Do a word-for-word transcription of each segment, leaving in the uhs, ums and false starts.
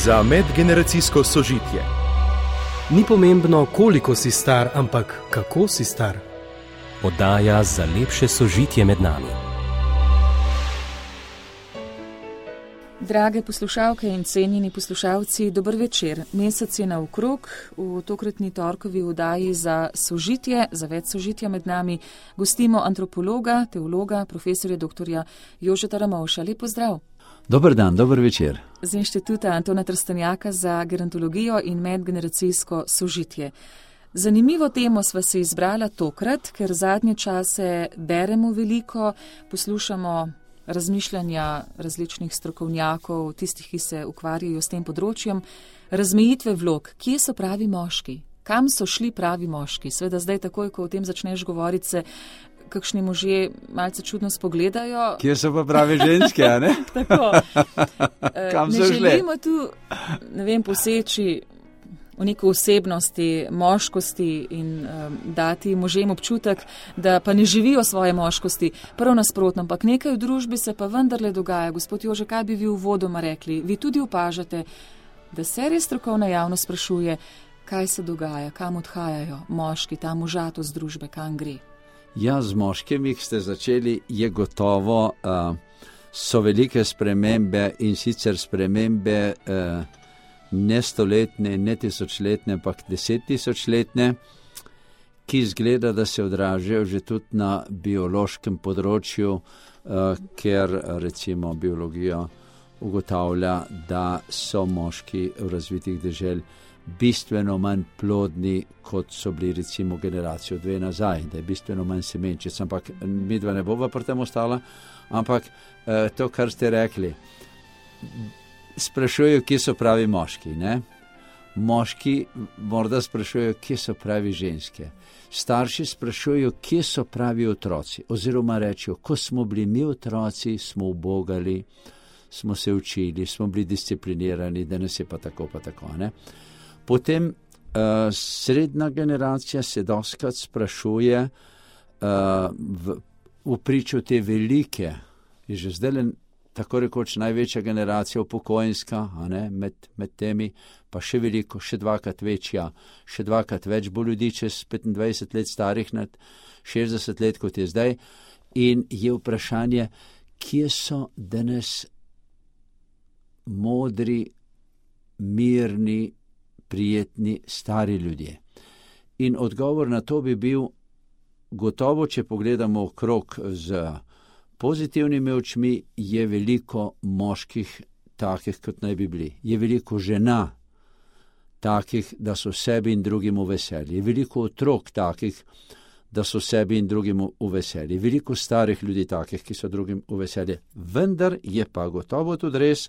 za medgeneracijsko sožitje. Ni pomembno, koliko si star, ampak kako si star. Oddaja za lepše sožitje med nami. Drage poslušalke in cenjeni poslušalci, dober večer. Mesec je naokrog, v tokratni torkovi oddaji za sožitje, za več sožitja med nami, gostimo antropologa, teologa, profesorja doktorja Jožeta Ramovša. Lep pozdrav. Dober dan, dober večer. Z Inštituta Antona Trstenjaka za gerontologijo in medgeneracijsko sožitje. Zanimivo temo sva se izbrala tokrat, ker zadnje čase beremo veliko, poslušamo razmišljanja različnih strokovnjakov, tistih, ki se ukvarjajo s tem področjem, razmejitve vlog, kje so pravi moški, kam so šli pravi moški. Sveda zdaj takoj, ko o tem začneš govoriti, se kakšni možje malce čudno spogledajo. Kje so pa pravi ženske, a ne? Tako. Kam ne so šli? želimo tu, ne vem, poseči v neko osebnosti, moškosti in um, dati možem občutek, da pa ne živijo svoje moškosti. Prvo nasprotno, ampak nekaj v družbi se pa vendarle dogaja. Gospod Jože, kaj bi vi uvodoma rekli? Vi tudi opažate, da se res strokovna javnost sprašuje, kaj se dogaja, kam odhajajo moški, ta možatost družbe, kam gre? Ja, z moškimi, ki ste začeli, je gotovo, uh, so velike spremembe in sicer spremembe uh, ne stoletne, ne tisočletne, ampak desettisočletne, ki izgleda, da se odražajo že tudi na biološkem področju, uh, ker recimo biologija ugotavlja, da so moški v razvitih dežel bistveno manj plodni, kot so bili recimo generacijo dve nazaj, da je bistveno manj semenčic, ampak midva ne bova pri tem ostala, ampak uh, to, kar ste rekli, sprašujejo, kje so pravi moški, ne? Moški morda sprašujejo, kje so pravi ženske. Starši sprašujejo, kje so pravi otroci, oziroma rečejo, ko smo bili mi otroci, smo ubogali, smo se učili, smo bili disciplinirani, danes je pa tako, pa tako, ne? Potem uh, srednja generacija se dostikrat sprašuje uh, v, v pričo te velike, je že zdaj tako rekoč največja generacija upokojenska, a ne, med, med temi, pa še veliko, še dvakrat večja, še dvakrat več bo ljudi čez petindvajset let starih nad šestdeset let, kot je zdaj. In je vprašanje, kje so danes modri, mirni, prijetni, stari ljudje. In odgovor na to bi bil gotovo, če pogledamo okrog z pozitivnimi očmi, je veliko moških takih, kot naj bi bili. Je veliko žena takih, da so sebi in drugim v veselji. Je veliko otrok takih, da so sebi in drugim v veselji. Veliko starih ljudi takih, ki so drugim v veselji. Vendar je pa gotovo tudi res,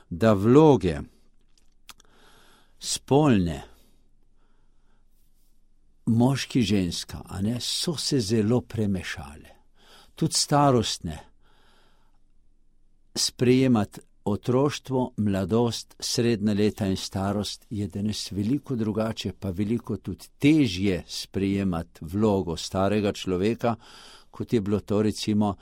da vloge spolne, moški, ženska, a ne, so se zelo premešale. Tudi starostne, sprejemati otroštvo, mladost, srednja leta in starost je danes veliko drugače, pa veliko tudi težje sprejemati vlogo starega človeka, kot je bilo to recimo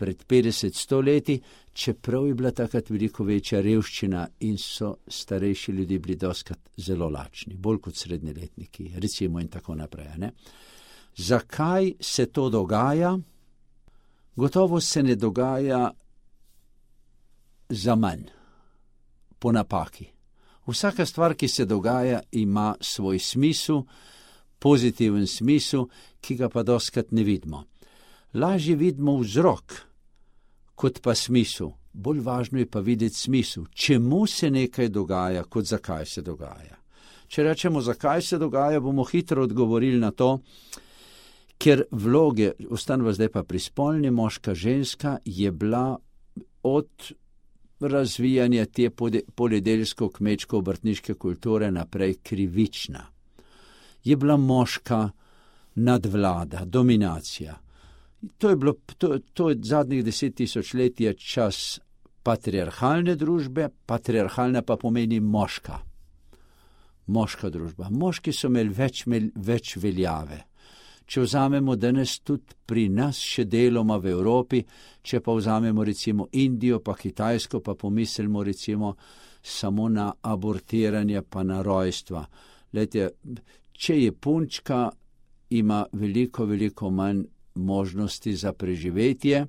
pred petdeset sto leti, čeprav je bila takrat veliko večja revščina in so starejši ljudje bili dostikrat zelo lačni, bolj kot srednjeletniki, recimo in tako naprej, ne? Zakaj se to dogaja? Gotovo se ne dogaja za manj, po napaki. Vsaka stvar, ki se dogaja, ima svoj smisel, pozitiven smisel, ki ga pa dostikrat ne vidimo. Lažje vidimo vzrok, kot pa smisel. Bolj važno je pa videti smisel, čemu se nekaj dogaja, kot zakaj se dogaja. Če rečemo, zakaj se dogaja, bomo hitro odgovorili na to, ker vloge, ostanva zdaj pa pri spolni, moška, ženska, je bila od razvijanja te poljedelsko-kmečko-obrtniške kulture naprej krivična. Je bila moška nadvlada, dominacija. To je bilo, to, to je zadnjih deset tisoč let je čas patriarhalne družbe, patriarhalna pa pomeni moška. Moška družba. Moški so imeli več, več veljave. če vzamemo danes tudi pri nas še deloma v Evropi, če pa vzamemo recimo Indijo, pa Kitajsko, pa pomislimo recimo samo na abortiranje pa na rojstva. Lejte, če je punčka, ima veliko, veliko manj možnosti za preživetje,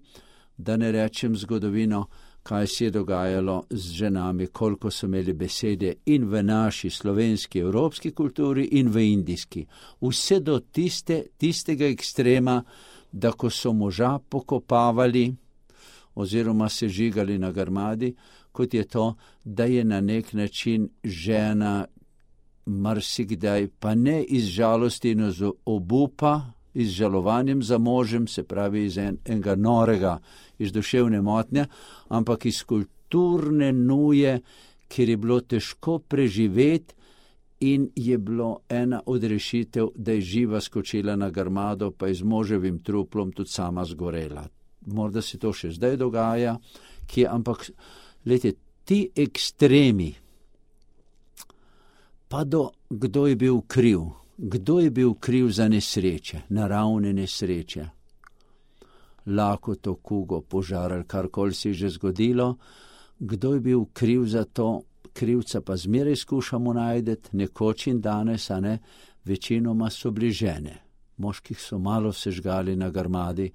da ne rečem zgodovino, kaj se je dogajalo z ženami, koliko so imeli besede in v naši slovenski, evropski kulturi in v indijski. Vse do tiste, tistega ekstrema, da ko so moža pokopavali oziroma se žigali na grmadi, kot je to, da je na nek način žena marsikdaj, pa ne iz žalosti in iz obupa, iz žalovanjem za možem, se pravi iz en, enega norega, iz duševne motnje, ampak iz kulturne nuje, kjer je bilo težko preživeti in je bilo ena od rešitev, da je živa skočila na grmado, pa je z moževim truplom tudi sama zgorela. Morda se to še zdaj dogaja, kje, ampak lejte, ti ekstremi, pa do kdo je bil kriv, kdo je bil kriv za nesreče, naravne nesreče, lakoto, kugo, požar ali karkoli se je že zgodilo, kdo je bil kriv za to, krivca pa zmeraj skušamo najdeti, nekoč in danes, a ne, večinoma so bili žene. Moških so malo sežgali na grmadi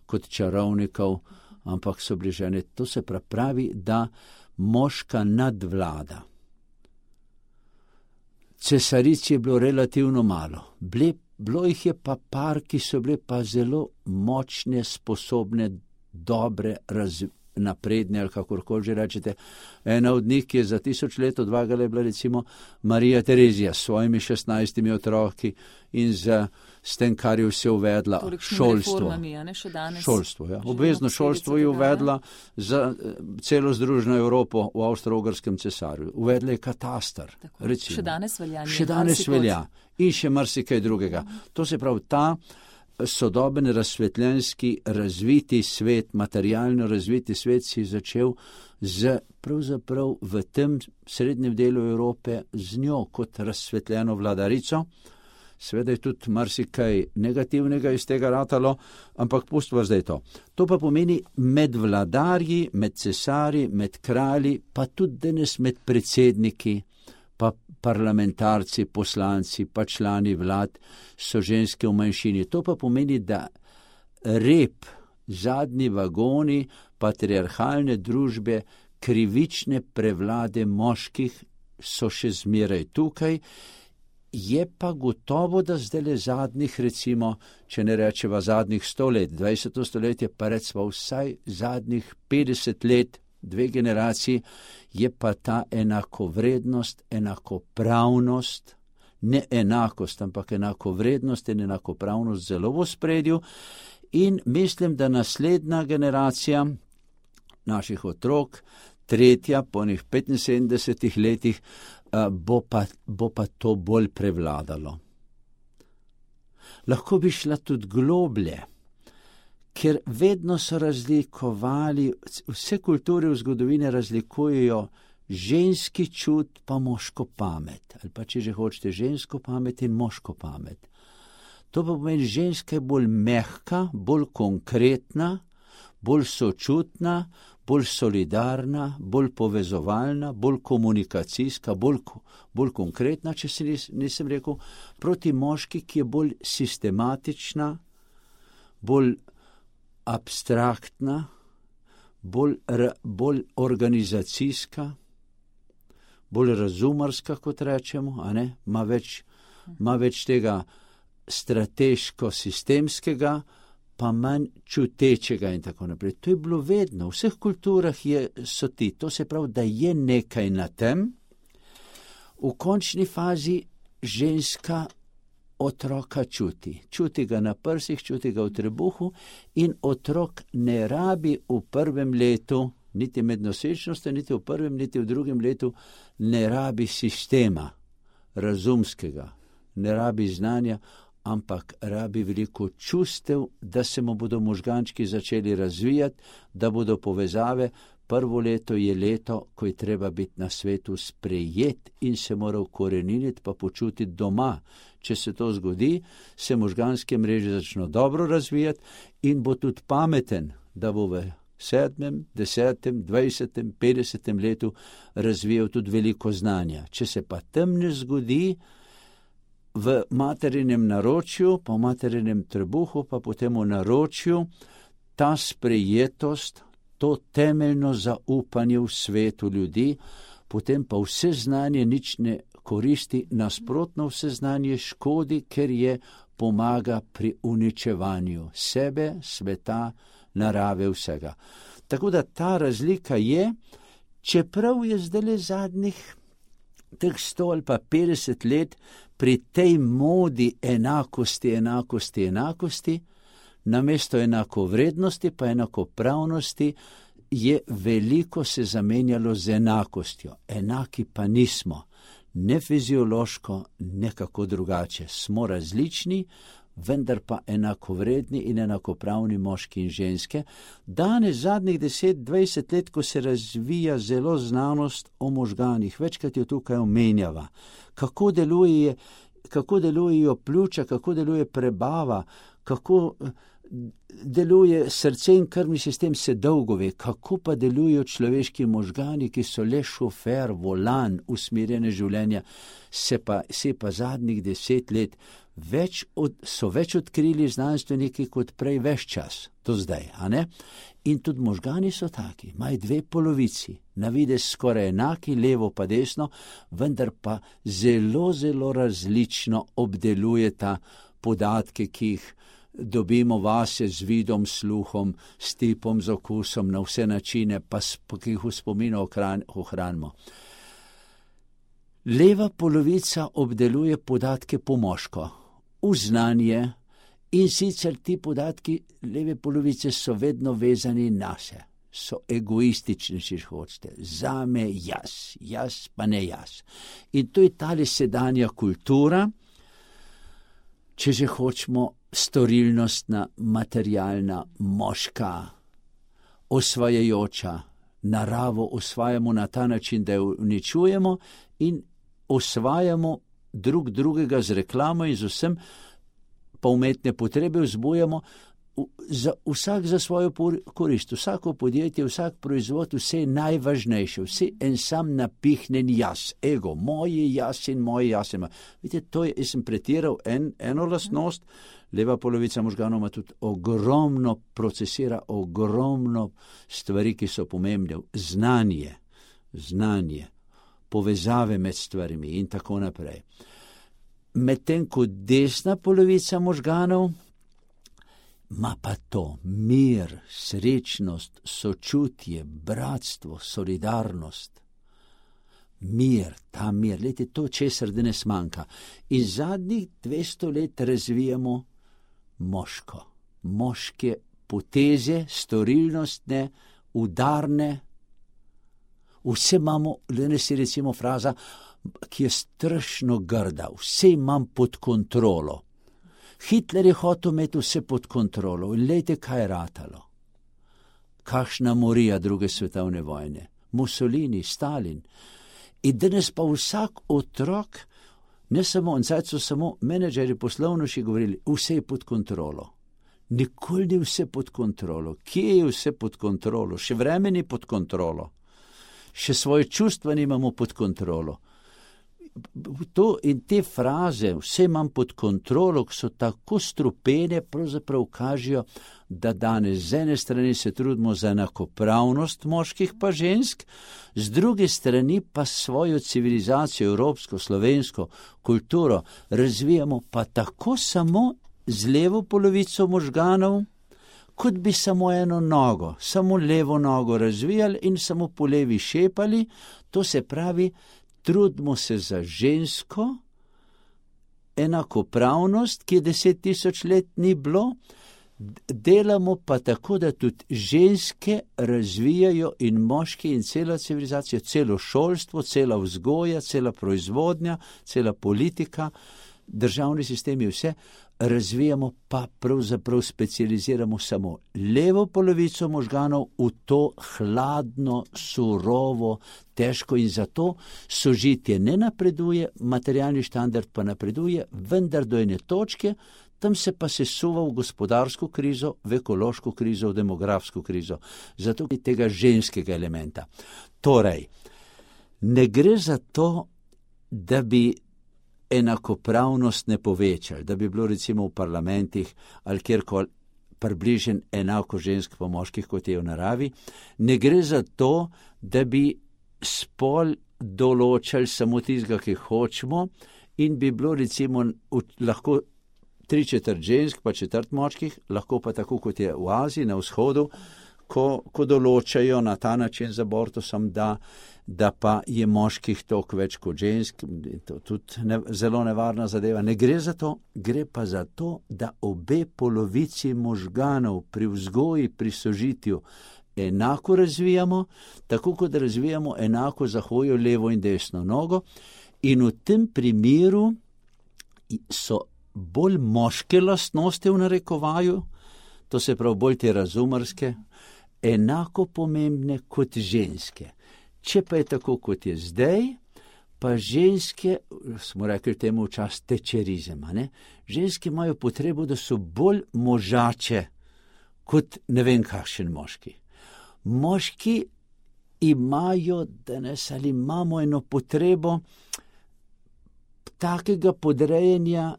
kot čarovnikov, ampak so bili žene. To se pravi, da moška nadvlada. Cesaric je bilo relativno malo. Ble, bilo jih je pa par, ki so bile pa zelo močne, sposobne, dobre, raz, napredne ali kakorkoli že rečete. Ena od njih, ki je za tisoč let odvagala, je bila recimo Marija Terezija s svojimi šestnajstimi otroki in z, s tem, kar je vse uvedla, šolstvo. Šolstvo, ja. Obvezno šolstvo je uvedla za celo Združeno Evropo v Avstro-Ugrskem cesarju. Uvedla je katastar. Recimo. Še danes velja. Še danes velja. In še marsikaj drugega. To se pravi, ta sodoben razsvetljenski razviti svet, materialno razviti svet si začel z, pravzaprav v tem srednjem delu Evrope z njo kot razsvetljeno vladarico. Seveda je tudi marsikaj negativnega iz tega ratalo, ampak pustimo zdaj to. To pa pomeni med vladarji, med cesarji, med kralji, pa tudi danes med predsedniki, pa parlamentarci, poslanci, pa člani vlad so ženske v manjšini. To pa pomeni, da rep, zadnji vagoni patriarhalne družbe, krivične prevlade moških so še zmeraj tukaj. Je pa gotovo, da zdaj zadnjih, recimo, če ne rečeva zadnjih sto let, dvajseto stoletje, pa recimo vsaj zadnjih petdeset let, dve generaciji, je pa ta enakovrednost, enakopravnost, ne enakost, ampak enakovrednost in enakopravnost zelo v ospredju. In mislim, da naslednja generacija naših otrok, tretja po njih petinsedemdesetih letih, bo pa, bo pa to bolj prevladalo. Lahko bi šla tudi globlje, ker vedno so razlikovali, vse kulture v zgodovini razlikujejo ženski čut pa moško pamet, ali pa če že hočete žensko pamet in moško pamet. To pa pomeni, ženska je bolj mehka, bolj konkretna, bolj sočutna, bolj solidarna, bolj povezovalna, bolj komunikacijska, bolj, bolj konkretna, če se nis, nisem rekel, proti moški, ki je bolj sistematična, bolj abstraktna, bolj, bolj organizacijska, bolj razumarska, kot rečemo, a ne, ima več, ima več tega strateško-sistemskega, pa manj čutečega in tako naprej. To je bilo vedno, v vseh kulturah je, so ti, to se pravi, da je nekaj na tem. V končni fazi ženska otroka čuti. Čuti ga na prsih, čuti ga v trebuhu in otrok ne rabi v prvem letu, niti med nosečnostjo, niti v prvem, niti v drugem letu, ne rabi sistema razumskega, ne rabi znanja, ampak rabi veliko čustev, da se mu bodo možgančki začeli razvijati, da bodo povezave, prvo leto je leto, ko je treba biti na svetu sprejet in se mora ukoreniniti pa počutiti doma. Če se to zgodi, se možganske mreže začno dobro razvijati in bo tudi pameten, da bo v sedmem, desetem, dvajsetem, petdesetem letu razvijal tudi veliko znanja. Če se pa tam ne zgodi, v materinem naročju, pa v materinem trebuhu, pa potem v naročju, ta sprejetost, to temeljno zaupanje v svetu ljudi, potem pa vse znanje nič ne koristi, nasprotno vse znanje škodi, ker je pomaga pri uničevanju sebe, sveta, narave, vsega. Tako da ta razlika je, čeprav je zdaj zadnjih teh sto ali pa petdeset let pri tej modi enakosti, enakosti, enakosti, namesto enakovrednosti pa enakopravnosti je veliko se zamenjalo z enakostjo. Enaki pa nismo. Ne fiziološko, nekako drugače. Smo različni, vendar pa enakovredni in enakopravni moški in ženske. Danes, zadnjih deset, dvajset let, ko se razvija zelo znanost o možganih, večkrat jo tukaj omenjava, kako deluje, kako delujejo pljuča, kako deluje prebava, kako deluje srce in krvni sistem, se dolgo ve, kako pa delujejo človeški možgani, ki so le šofer, volan, usmerjene življenja, se pa, se pa zadnjih deset let več od, so več odkrili znanstveniki kot prej ves čas, do zdaj, a ne? In tudi možgani so taki, imajo dve polovici, na videz skoraj enaki, levo pa desno, vendar pa zelo, zelo različno obdelujeta podatke, ki jih dobimo vase z vidom, sluhom, s tipom, z okusom, na vse načine, pa ki jih v spominu ohranimo. Leva polovica obdeluje podatke po moško, v znanje, in sicer ti podatki leve polovice so vedno vezani na se, so egoistični, če hočete, zame jaz, jaz pa ne jaz. In to je tale sedanja kultura, če že hočemo, storilnostna, materialna, moška, osvajajoča, naravo osvajamo na ta način, da jo uničujemo in osvajamo drug drugega z reklamo in z vsem, pa umetne potrebe vzbujamo, za, vsak za svojo korist, vsako podjetje, vsak proizvod, vse je najvažnejše, vse en sam napihnen jaz, ego, moje jaz in moje jaz. Vidite, to je, jaz sem pretiral en, eno lastnost, leva polovica možganov ima tudi ogromno, procesira ogromno stvari, ki so pomembne, znanje, znanje, povezave med stvarmi in tako naprej. Medtem ko desna polovica možganov ima pa to mir, srečnost, sočutje, bratstvo, solidarnost. Mir, ta mir, lejte, to česar danes manjka. In zadnjih dvesto let razvijamo moško, moške poteze, storilnostne, udarne. Vse imamo, danes je recimo fraza, ki je strašno grda, vse imam pod kontrolo. Hitler je hotel imeti vse pod kontrolo in lejte, kaj je ratalo. Kakšna morija druge svetovne vojne, Mussolini, Stalin. In danes pa vsak otrok, ne samo, in zdaj so samo menedžeri poslovnoši govorili, vse je pod kontrolo. Nikoli ni vse pod kontrolo. Kje je vse pod kontrolo? Še vreme ni pod kontrolo. Še svoje čustva nimamo pod kontrolo. To in te fraze, vse imam pod kontrolo, ki so tako strupene, pravzaprav kažejo, da danes z ene strani se trudimo za enakopravnost moških pa žensk, z druge strani pa svojo civilizacijo, evropsko, slovensko kulturo razvijamo pa tako samo z levo polovico možganov, kot bi samo eno nogo, samo levo nogo razvijali in samo po levi šepali, to se pravi, trudimo se za žensko enakopravnost, ki je deset tisoč let ni bilo, delamo pa tako, da tudi ženske razvijajo in moški in cela civilizacija, celo šolstvo, cela vzgoja, cela proizvodnja, cela politika, državni sistem je vse, razvijamo, pa pravzaprav specializiramo samo levo polovico možganov v to hladno, surovo, težko, in zato sožitje ne napreduje, materialni štandard pa napreduje, vendar do ene točke, tam se pa sesuva v gospodarsko krizo, v ekološko krizo, v demografsko krizo. Zato je tega ženskega elementa. Torej, ne gre za to, da bi enakopravnost ne povečali, da bi bilo recimo v parlamentih ali kjerkoli približen enako žensk pa moških, kot je v naravi. Ne gre za to, da bi spol določali samo tistega, ki hočemo, in bi bilo recimo lahko tri četrt žensk pa četrt moških, lahko pa tako, kot je v Aziji, na vzhodu, ko, ko določajo na ta način z abortusom, da da pa je moških toliko več kot žensk, to tudi ne, zelo nevarna zadeva. Ne gre za to, gre pa za to, da obe polovici možganov pri vzgoji, pri sožitju enako razvijamo, tako kot razvijamo enako za hojo levo in desno nogo, in v tem primeru so bolj moške lastnosti v narekovaju, to se pravi bolj te razumarske, enako pomembne kot ženske. Če pa je tako, kot je zdaj, pa ženske, smo rekli temu včasih tečerizem, ne? Ženske imajo potrebo, da so bolj možače kot ne vem kakšen moški. Moški imajo danes ali imamo eno potrebo takega podrejanja,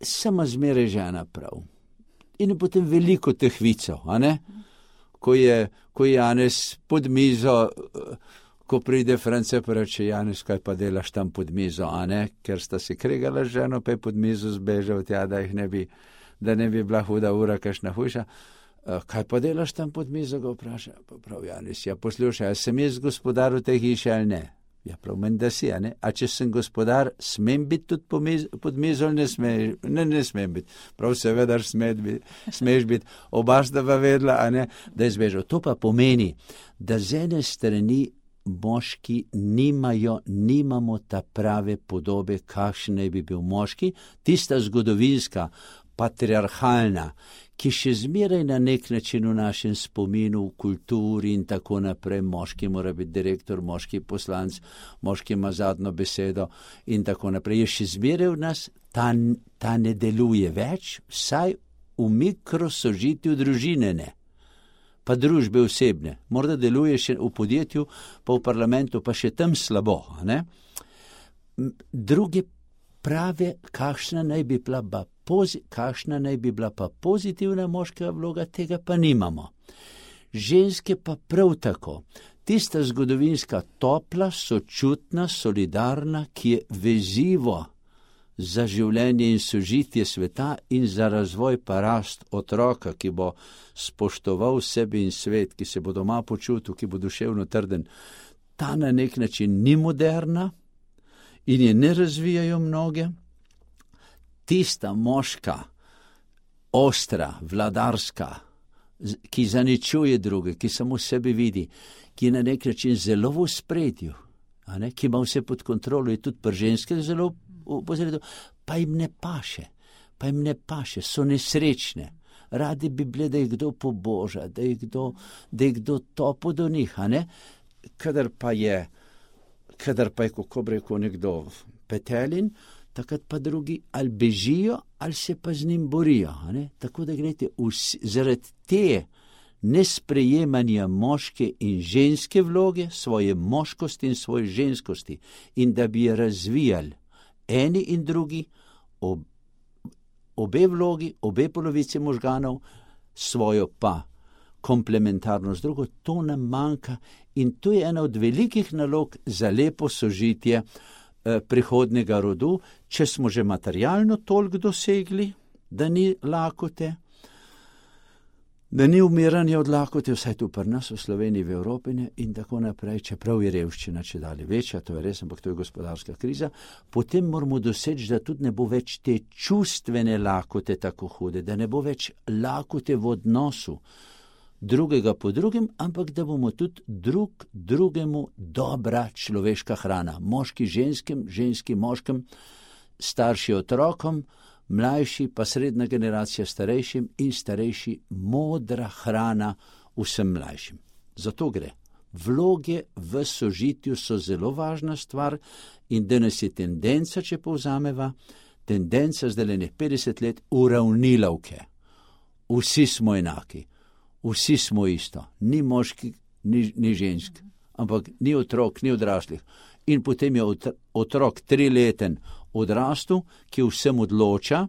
sama zmeraj žena prav. In potem veliko teh vicov, a ne? Ko je, ko je Janez pod mizo, ko pride France, pa reče: Janez, kaj pa delaš tam pod mizo, a ne? Ker sta si kregala z ženo, pa je pod mizo zbežal tja, da jih ne bi, da ne bi bila huda ura, kakšna hujša. Kaj pa delaš tam pod mizo, ga vpraša. Pa prav Janez: ja, poslušaj, a sem jaz gospodar v tej hiši ali ne? Ja, prav meni, da si, a ne? A če sem gospodar, smem biti tudi po miz, pod mizo ali ne smeš? Ne, ne smem biti. Prav seveda biti, smeš biti. Oba sta pa vedela, a ne, da je zbežal. To pa pomeni, da z ene strani moški nimajo, nimamo ta prave podobe, kakšen naj bi bil moški, tista zgodovinska, patriarhalna, ki še zmeraj na nek način v našem spominu, v kulturi in tako naprej, moški mora biti direktor, moški poslanc, moški ima zadnjo besedo in tako naprej, je še zmeraj v nas, ta, ta ne deluje več, vsaj v mikrosožitju družine ne, pa družbe osebne, morda deluje še v podjetju, pa v parlamentu, pa še tam slabo, ne? Druge prave, kakšna naj bi bila pa Pozi, kakšna naj bi bila pa pozitivna moškega vloga, tega pa nimamo. Ženske pa prav tako. Tista zgodovinska, topla, sočutna, solidarna, ki je vezivo za življenje in sožitje sveta in za razvoj pa rast otroka, ki bo spoštoval sebi in svet, ki se bo doma počutil, ki bo duševno trden. Ta na nek način ni moderna in je ne razvijajo mnoge. Tista moška, ostra, vladarska, ki zaničuje druge, ki samo sebe vidi, ki je na nek način zelo v ospredju, a ne, ki ima vse pod kontrolo, je tudi pri ženskih zelo v posredu, pa jim ne paše, pa jim ne paše, so nesrečne. Radi bi bile, da jih kdo poboža, da jih kdo, da jih kdo topo do njih, a ne, kadar pa je, kadar pa je, kako bi rekel nekdo, petelin, takrat pa drugi ali bežijo, ali se pa z njim borijo. Ne? Tako da gledajte, vsi, zaradi te nesprejemanja moške in ženske vloge, svoje moškosti in svoje ženskosti, in da bi je razvijali eni in drugi, ob, obe vlogi, obe polovice možganov, svojo pa komplementarno z drugo, to nam manjka in to je ena od velikih nalog za lepo sožitje prihodnega rodu, če smo že materialno toliko dosegli, da ni lakote, da ni umiranje od lakote, vsaj tu pri nas v Sloveniji, v Evropi in tako naprej, čeprav je revščina čedalje večja, to je res, ampak to je gospodarska kriza, potem moramo doseči, da tudi ne bo več te čustvene lakote tako hude, da ne bo več lakote v odnosu drugega po drugem, ampak da bomo tudi drug drugemu dobra človeška hrana. Moški ženskim, ženski moškim, starši otrokom, mlajši pa srednja generacija starejšim in starejši modra hrana vsem mlajšim. Zato gre. Vloge v sožitju so zelo važna stvar in danes je tendenca, če povzameva, tendenca zdaj le petdeset let uravnilovke. Vsi smo enaki, vsi smo isto, ni moški, ni, ni žensk, ampak ni otrok, ni odraslih. In potem je otrok trileten odrastu, ki vsem odloča,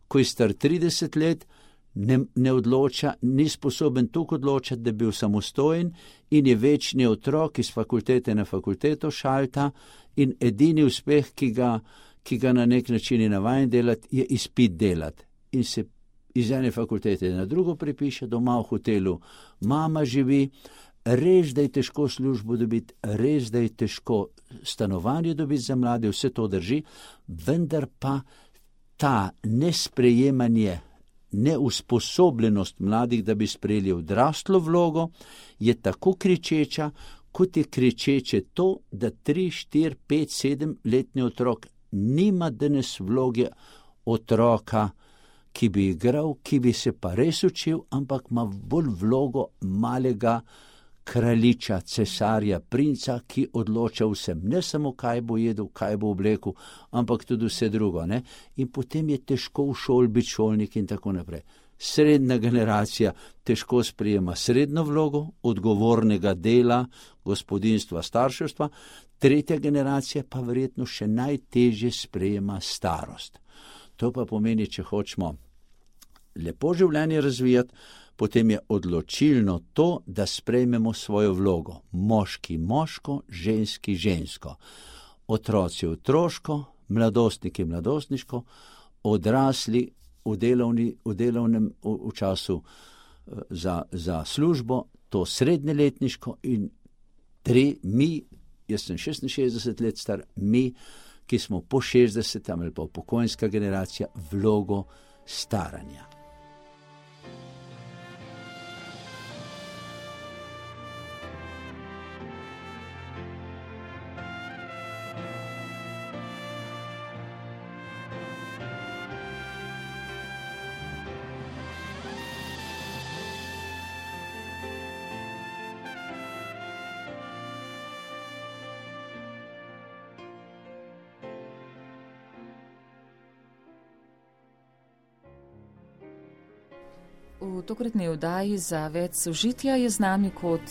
ko je star trideset let, ne, ne odloča, ni sposoben toliko odločati, da bi bil samostojen in je večni otrok iz fakultete na fakulteto šalta in edini uspeh, ki ga, ki ga na nek način je navajen delati, je izpit delati. In se iz ene fakultete na drugo pripiše, doma v hotelu mama živi, res, da je težko službo dobiti, res, da je težko stanovanje dobiti za mlade, vse to drži, vendar pa ta nesprejemanje, neusposobljenost mladih, da bi sprejeli odraslo vlogo, je tako kričeča, kot je kričeče to, da tri, štiri, pet, sedem letni otrok nima danes vloge otroka, ki bi igral, ki bi se pa res učil, ampak ima bolj vlogo malega kraljiča, cesarja, princa, ki odloča vsem, ne samo kaj bo jedel, kaj bo oblekel, ampak tudi vse drugo, ne? In potem je težko v šoli biti šolnik in tako naprej. Srednja generacija težko sprejema srednjo vlogo, odgovornega dela, gospodinstva, starševstva, tretja generacija pa verjetno še najtežje sprejema starost. To pa pomeni, če hočemo lepo življenje razvijati, potem je odločilno to, da sprejmemo svojo vlogo. Moški moško, ženski žensko. Otroci otroško, mladostniki mladostniško, odrasli v, delovni, v delovnem v, v času za, za službo, to srednjeletniško in tri, mi, jaz sem šestinšestdeset let star, mi, ki smo po šestdesetem ali pa upokojenska generacija, vlogo staranja. V tokratni oddaji za več sožitja je z nami kot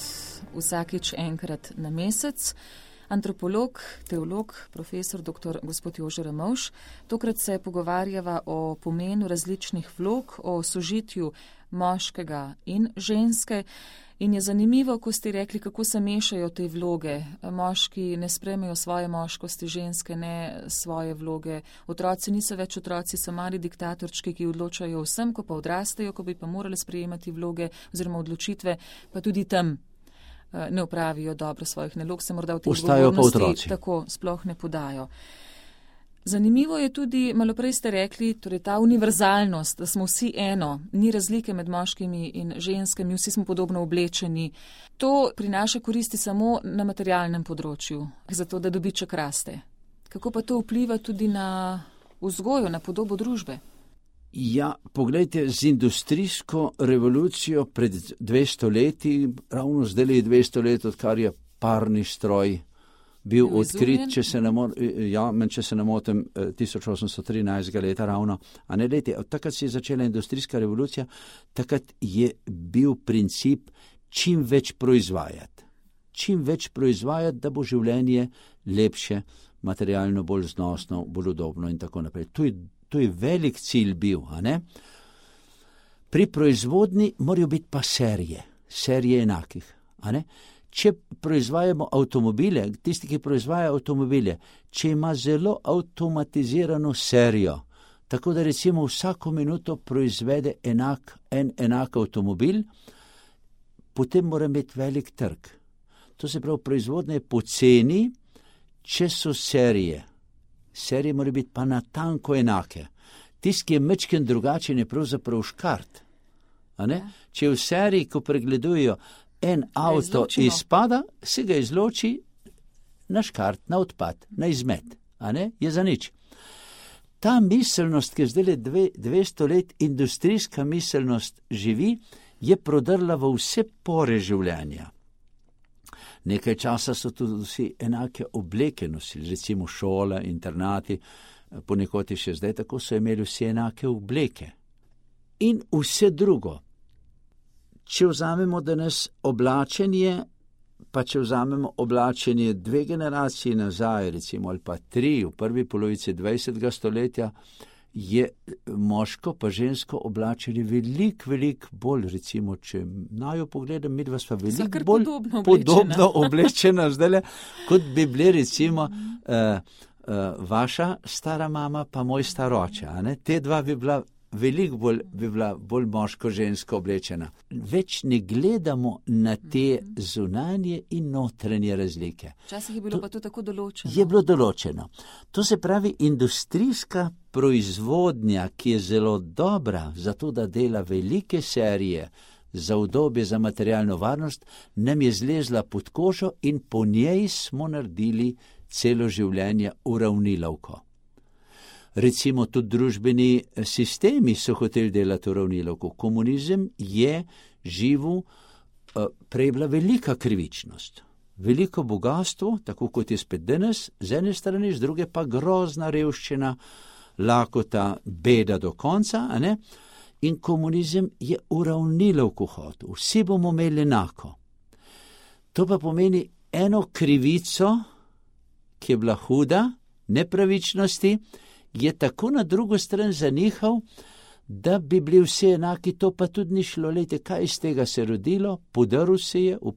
vsakič enkrat na mesec antropolog, teolog, profesor dr. gospod Jože Ramovš. Tokrat se pogovarjava o pomenu različnih vlog, o sožitju moškega in ženske. In je zanimivo, ko ste rekli, kako se mešajo te vloge. Moški ne sprejmejo svoje moškosti, ženske ne svoje vloge. Otroci niso več otroci, so mali diktatorčki, ki odločajo vsem, ko pa odrastejo, ko bi pa morali sprejemati vloge oziroma odločitve, pa tudi tam ne opravijo dobro svojih nalog, se morda v tej odgovornosti tako sploh ne podajo. Zanimivo je tudi, malo prej ste rekli, torej ta univerzalnost, da smo vsi eno, ni razlike med moškimi in ženskami, vsi smo podobno oblečeni. To prinaša koristi samo na materialnem področju, zato da dobiček raste. Kako pa to vpliva tudi na vzgojo, na podobo družbe? Ja, poglejte, z industrijsko revolucijo pred dvesto leti, ravno zdaj je dvesto let, odkar je parni stroj bil odkrit, če se ne, mo- ja, če se ne motim, tisoč osemsto trinajstega leta ravno. A ne leti, od takrat se je začela industrijska revolucija, takrat je bil princip čim več proizvajati. Čim več proizvajati, da bo življenje lepše, materialno bolj znosno, bolj udobno in tako naprej. To je, to je velik cilj bil, a ne? Pri proizvodni morajo biti pa serije, serije enakih, a ne? Če proizvajamo avtomobile, tisti, ki proizvajajo avtomobile, če ima zelo avtomatizirano serijo, tako da recimo vsako minuto proizvede enak, en enak avtomobil, potem mora imeti velik trg. To se pravi, proizvodnja je poceni, če so serije. Serije mora biti pa natanko enake. Tisti, ki je mečken drugačen, je pravzaprav škart. A ne? Če v seriji, ko pregledujejo, en avto izpada, se ga izloči na škart, na odpad, na izmet, a ne, je za nič. ta miselnost, ki je zdaj dve, dvesto let industrijska miselnost živi, je prodrla v vse pore življenja. Nekaj časa so tudi vsi enake obleke nosili, recimo šole, internati, ponekod je še zdaj tako, so imeli vsi enake obleke. In vse drugo. Če vzamemo danes oblačenje, pa če vzamemo oblačenje dve generaciji nazaj, recimo, ali pa tri, v prvi polovici dvajsetega stoletja, je moško pa žensko oblačenje veliko, veliko bolj, recimo, če najo pogledam, midva sva veliko bolj podobno, podobno oblečena zdajle, kot bi bile, recimo, uh, uh, vaša stara mama pa moj star oče, a ne? Te dva bi bila veliko bolj, bi bila bolj moško-žensko oblečena. Več ne gledamo na te zunanje in notranje razlike. Včasih je bilo to, pa to tako določeno. Je bilo določeno. To se pravi, industrijska proizvodnja, ki je zelo dobra, zato da dela velike serije za udobje, za materialno varnost, nam je zlezla pod kožo in po njej smo naredili celo življenje uravnilovko. Recimo tudi družbeni sistemi so hoteli delati uravnilovko. Komunizem je živel, prej bila velika krivičnost, veliko bogatstvo, tako kot je spet danes, z ene strani, z druge pa grozna revščina, lakota, beda do konca, a ne? In komunizem je uravnilovko hotel. Vsi bomo imeli enako. To pa pomeni eno krivico, ki je bila huda, nepravičnosti, je tako na drugo stran zanihal, da bi bili vsi enaki, to pa tudi ni šlo. Lejte, kaj iz tega se rodilo? Podaril se je, v,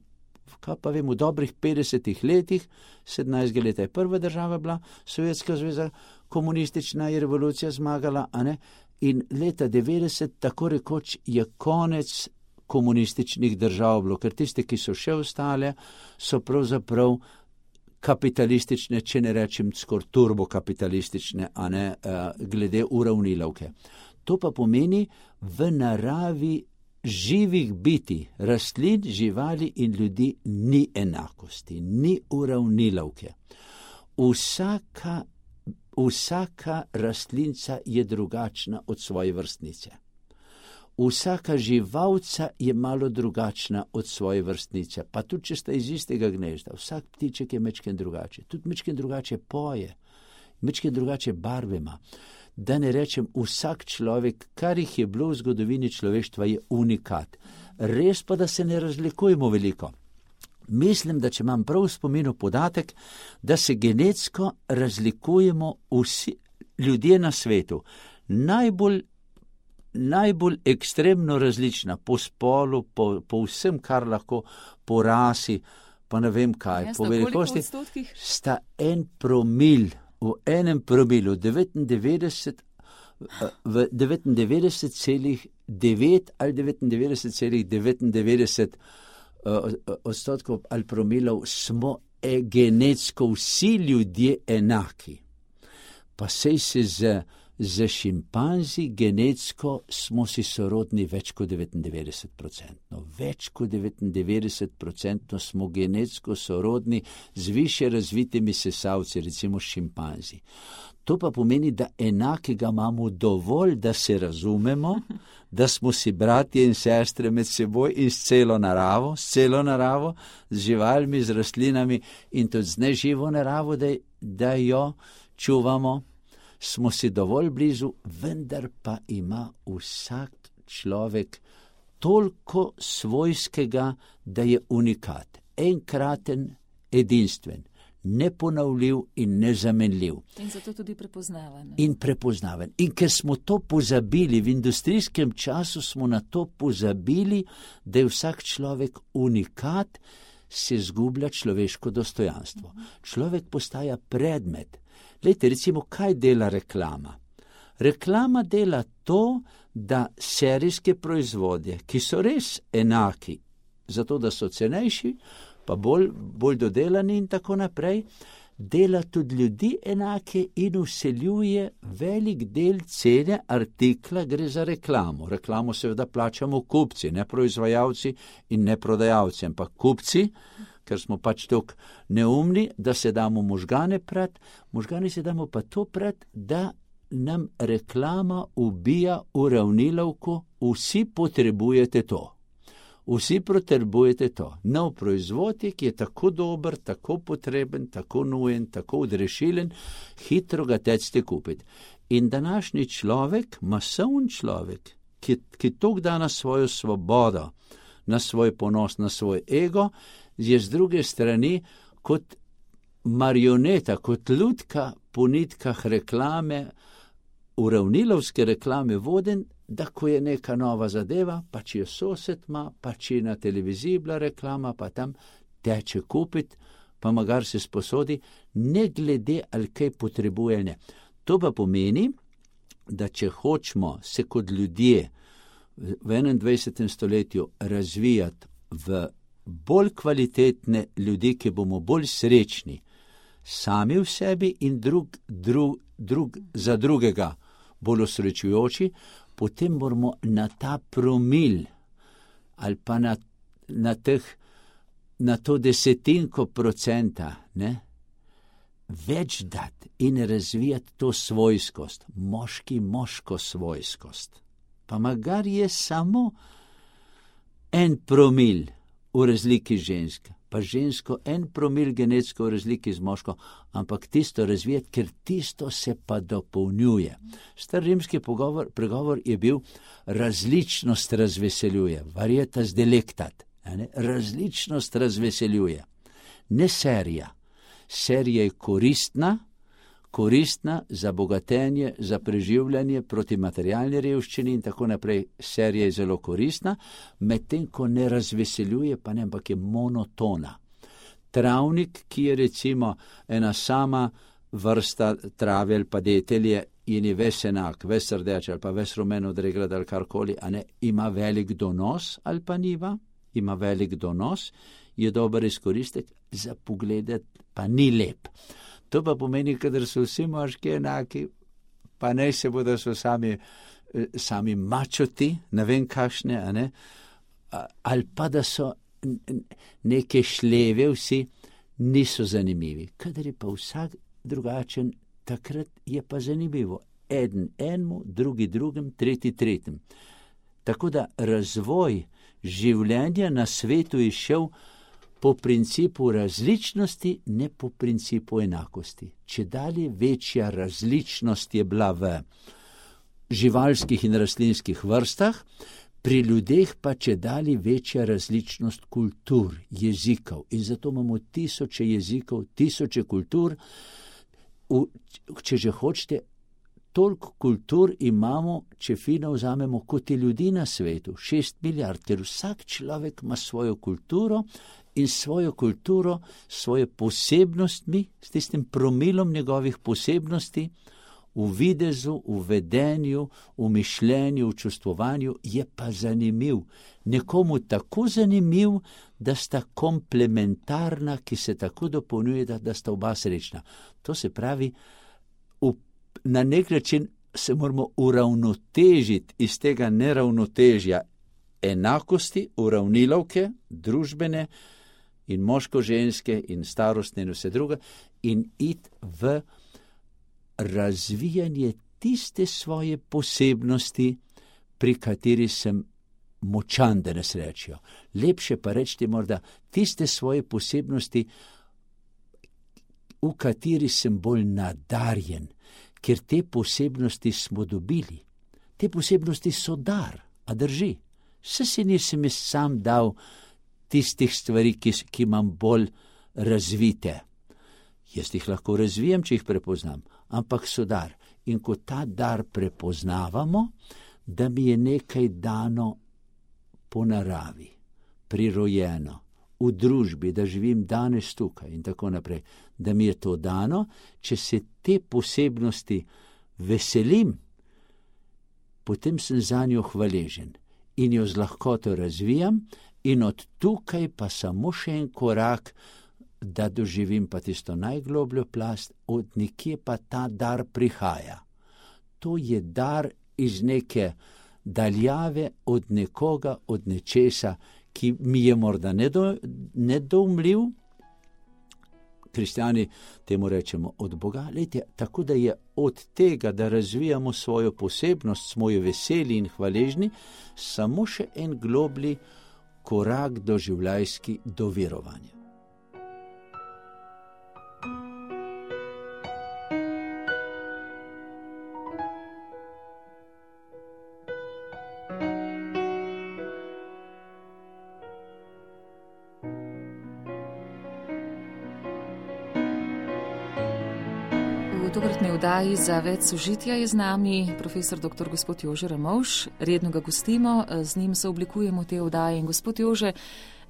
kaj pa vem, v dobrih petdesetih letih, sedemnajstega leta je prva država bila, Sovjetska zveza, komunistična je revolucija zmagala, a ne? In leta devetdeset, tako rekoč, je konec komunističnih držav bilo, ker tiste, ki so še ostale, so pravzaprav kapitalistične, če ne rečem skor turbokapitalistične, a ne, glede uravnilovke. To pa pomeni v naravi živih biti, rastlin, živali in ljudi ni enakosti, ni uravnilovke. Vsaka, vsaka rastlinca je drugačna od svoje vrstnice. Vsaka živalca je malo drugačna od svoje vrstnice, pa tudi če sta iz istega gnezda, vsak ptiček je mečken drugače, tudi mečken drugače poje, mečken drugače barve ima. Da ne rečem, vsak človek, kar jih je bilo v zgodovini človeštva, je unikat. Res pa, da se ne razlikujemo veliko. Mislim, da če imam prav v spominu podatek, da se genetsko razlikujemo vsi ljudje na svetu. Najbolj najbolj ekstremno različna po spolu, po, po vsem, kar lahko, po rasi, pa ne vem kaj, ja, po velikosti, sta en promil, v enem promilu, devetindevetdeset, v devetindevetdeset celih devet ali devetindevetdeset celih devetindevetdeset odstotkov ali promilov smo e, genetsko vsi ljudje enaki. Pa sej se z Za šimpanzi genetsko smo si sorodni več kot devetindevetdeset procentno. Več kot devetindevetdeset procentno smo genetsko sorodni z više razvitimi sesalci, recimo šimpanzi. To pa pomeni, da enakega imamo dovolj, da se razumemo, da smo si bratje in sestre med seboj in s celo naravo, s celo naravo, z živalmi, z rastlinami in tudi z neživo naravo, da, da jo čuvamo. Smo si dovolj blizu, vendar pa ima vsak človek toliko svojskega, da je unikat, enkraten, edinstven, neponovljiv in nezamenljiv. In zato tudi prepoznaven. In prepoznaven. In ker smo to pozabili, v industrijskem času smo na to pozabili, da je vsak človek unikat, se zgublja človeško dostojanstvo. Človek postaja predmet. Lejte, recimo, kaj dela reklama? Reklama dela to, da serijske proizvodje, ki so res enaki, zato da so cenejši, pa bolj, bolj dodelani in tako naprej, dela tudi ljudi enake in vseljuje velik del cene artikla, gre za reklamo. Reklamo seveda plačamo kupci, ne proizvajalci in ne prodajalci, ampak kupci, ker smo pač toliko neumni, da se damo možgane prat, možgani se damo pa to prat, da nam reklama ubija uravnilovko, vsi potrebujete to. Vsi potrebujete to. Nov proizvod je, ki je tako dober, tako potreben, tako nujen, tako odrešilen, hitro ga tecite kupiti. In današnji človek, masovni človek, ki, ki tok da na svojo svobodo, na svoj ponos, na svoj ego, je z druge strani kot marioneta, kot lutka po nitkah reklame, uravnilovske reklame voden, da ko je neka nova zadeva, pa če je sosed ima, pa če je na televiziji bila reklama, pa tam teče kupiti, pa magar se sposodi, ne glede ali kaj potrebuje ali ne. To pa pomeni, da če hočemo se kot ljudje v enaindvajsetem stoletju razvijati v bolj kvalitetne ljudi, ki bomo bolj srečni, sami v sebi in drug, drug, drug za drugega bolj osrečujoči, potem moramo na ta promil ali pa na, na, teh, na to desetinko procenta ne, več dati in razvijati to svojskost, moški moško svojskost. Pa magar je samo en promil v razliki ženska, pa žensko en promil genetsko v razliki z moško, ampak tisto razvijati, ker tisto se pa dopolnjuje. Star rimski pogovor, pregovor je bil različnost razveseljuje, varietas delectat, ne? Različnost razveseljuje, ne serija. Serija je koristna, koristna za bogatenje, za preživljanje, proti materialni revščini in tako naprej. Serija je zelo koristna, medtem ko ne razveseljuje, pa ne, ampak je monotona. Travnik, ki je recimo ena sama vrsta trave ali pa detelje in je ves enak, ves rdeč ali pa ves rumen odregrad ali karkoli, a ne, ima velik donos ali pa niva, ima velik donos, je dober izkoristek, za pogledat pa ni lep. To pa pomeni, kadar so vsi moški enaki, pa ne se bodo so sami, sami mačoti, ne vem kakšne, a ne, ali pa da so neke šleve vsi, niso zanimivi. Kadar je pa vsak drugačen, takrat je pa zanimivo. Eden enemu, drugi drugim, tretji tretjim. Tako da razvoj življenja na svetu je šel po principu različnosti, ne po principu enakosti. Čedalje večja različnost je bila v živalskih in rastlinskih vrstah, pri ljudeh pa čedalje večja različnost kultur, jezikov. In zato imamo tisoče jezikov, tisoče kultur. V, če že hočete, toliko kultur imamo, če fino vzamemo, kot je ljudi na svetu, šest milijard, ker vsak človek ima svojo kulturo in svojo kulturo, svoje posebnostmi, s tistim promilom njegovih posebnosti, v videzu, v vedenju, v mišljenju, v čustvovanju, je pa zanimiv. Nekomu tako zanimiv, da sta komplementarna, ki se tako dopolnjuje, da sta oba srečna. To se pravi, v, na nek način se moramo uravnotežiti iz tega neravnotežja enakosti, uravnilovke, družbene in moško-ženske in starostne in vse druge, in iti v razvijanje tiste svoje posebnosti, pri kateri sem močan, da nas rečijo. Lepše pa reči morda tiste svoje posebnosti, v kateri sem bolj nadarjen, ker te posebnosti smo dobili. Te posebnosti so dar, a drži. Saj si nisem jaz sam dal tistih stvari, ki, ki imam bolj razvite. Jaz jih lahko razvijem, če jih prepoznam, ampak so dar. In ko ta dar prepoznavamo, da mi je nekaj dano po naravi, prirojeno, v družbi, da živim danes tukaj in tako naprej, da mi je to dano, če se te posebnosti veselim, potem sem zanjo hvaležen in jo z lahkoto razvijam in od tukaj pa samo še en korak, da doživim pa tisto najglobljo plast, od nekje pa ta dar prihaja. To je dar iz neke daljave, od nekoga, od nečesa, ki mi je morda nedo, nedoumljiv, kristjani temu rečemo od Boga. Lejte, tako da je od tega, da razvijamo svojo posebnost, svojo veseli in hvaležni, samo še en globlji korak do življenjski do verovanja. V tokratni oddaji za več sožitja je z nami profesor doktor gospod Jože Ramovš. Redno ga gostimo, z njim se oblikujemo te oddaje. In gospod Jože,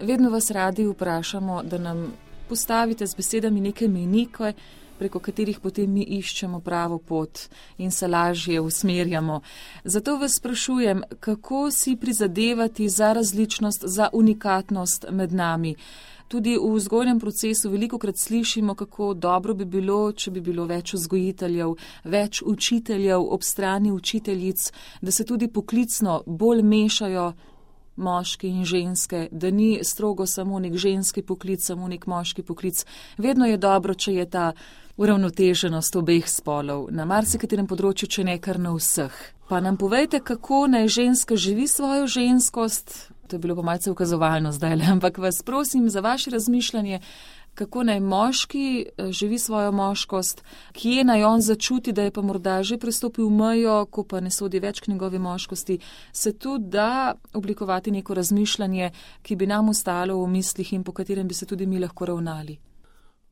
vedno vas radi vprašamo, da nam postavite z besedami neke mejnike, preko katerih potem mi iščemo pravo pot in se lažje usmerjamo. Zato vas sprašujem, kako si prizadevati za različnost, za unikatnost med nami. Tudi v vzgojnem procesu velikokrat slišimo, kako dobro bi bilo, če bi bilo več vzgojiteljev, več učiteljev ob strani učiteljic, da se tudi poklicno bolj mešajo moški in ženske, da ni strogo samo nek ženski poklic, samo nek moški poklic. Vedno je dobro, če je ta uravnoteženost obeh spolov, na marsikaterem področju, če ne kar na vseh. Pa nam povejte, kako naj ženska živi svojo ženskost. To je bilo pa malce ukazovalno zdaj, ampak vas prosim za vaše razmišljanje, kako naj moški živi svojo moškost, kje naj on začuti, da je pa morda že prestopil mejo, ko pa ne sodi več k njegovi moškosti, se tu da oblikovati neko razmišljanje, ki bi nam ostalo v mislih in po katerem bi se tudi mi lahko ravnali.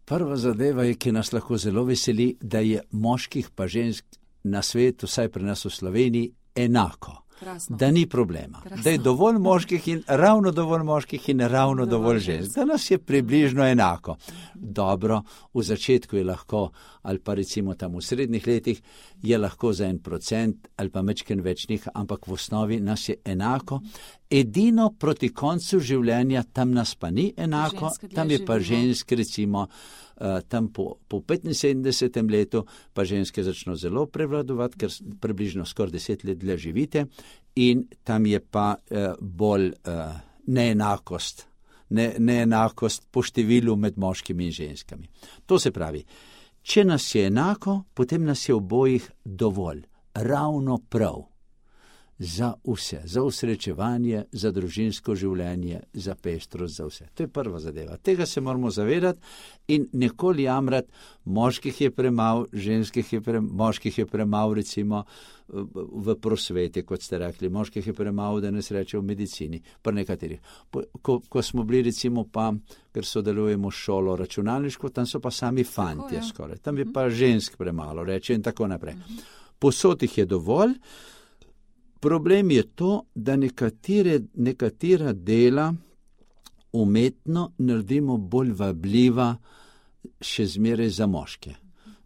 Prva zadeva je, ki nas lahko zelo veseli, da je moških pa žensk na svetu, vsaj pri nas v Sloveniji, enako. Krasno. Da ni problema. Krasno. Da je dovolj moških in ravno dovolj moških in ravno dovolj, dovolj žensk. Da nas je približno enako. Dobro, v začetku je lahko, ali pa recimo tam v srednjih letih, je lahko za en procent ali pa mečken večnih, ampak v osnovi nas je enako. Edino proti koncu življenja tam nas pa ni enako, tam je pa žensk recimo, Uh, tam po, po petinsedemdesetem letu pa ženske začno zelo prevladovati, ker približno skoraj deset let dlje živite in tam je pa uh, bolj uh, neenakost, ne, neenakost po številu med moškimi in ženskami. To se pravi, če nas je enako, potem nas je obojih dovolj, ravno prav. Za vse, za usrečevanje, za družinsko življenje, za pestrost, za vse. To je prva zadeva. Tega se moramo zavedati in nikoli jamrati, moških je premalo, ženskih je premalo, moških je premalo recimo v prosveti, kot ste rekli, moških je premalo, da ne se reče v medicini, pa nekaterih. Ko, ko smo bili recimo pa, ker sodelujemo šolo računalniško, tam so pa sami fantje skoraj, tam je pa žensk premalo, reče in tako naprej. Posod jih je dovolj. Problem je to, da nekatere, nekatera dela umetno naredimo bolj vabljiva še zmeraj za moške.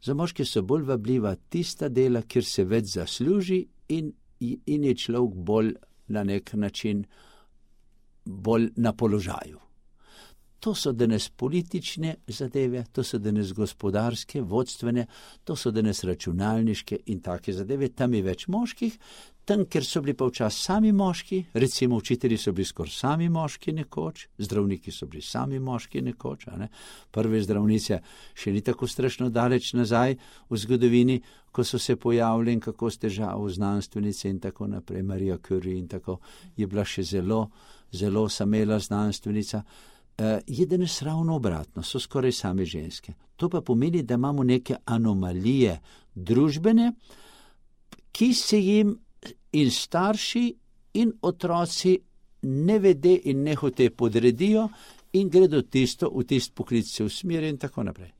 Za moške so bolj vabljiva tista dela, kjer se več zasluži in, in je človek bolj na nek način bolj na položaju. To so danes politične zadeve, to so danes gospodarske, vodstvene, to so danes računalniške in take zadeve. Tam je več moških, tam, kjer so bili pa včas sami moški, recimo učitelji so bili skoraj sami moški nekoč, zdravniki so bili sami moški nekoč, a ne? Prve zdravnice še ni tako strašno daleč nazaj v zgodovini, ko so se pojavili in kako s težavo znanstvenice in tako naprej, Marija Curie in tako, je bila še zelo, zelo samela znanstvenica. Uh, je danes ravno obratno, so skoraj same ženske. To pa pomeni, da imamo neke anomalije družbene, ki se jim in starši in otroci nevede in nehote podredijo in gredo tisto, v tist poklic se usmeri in tako naprej.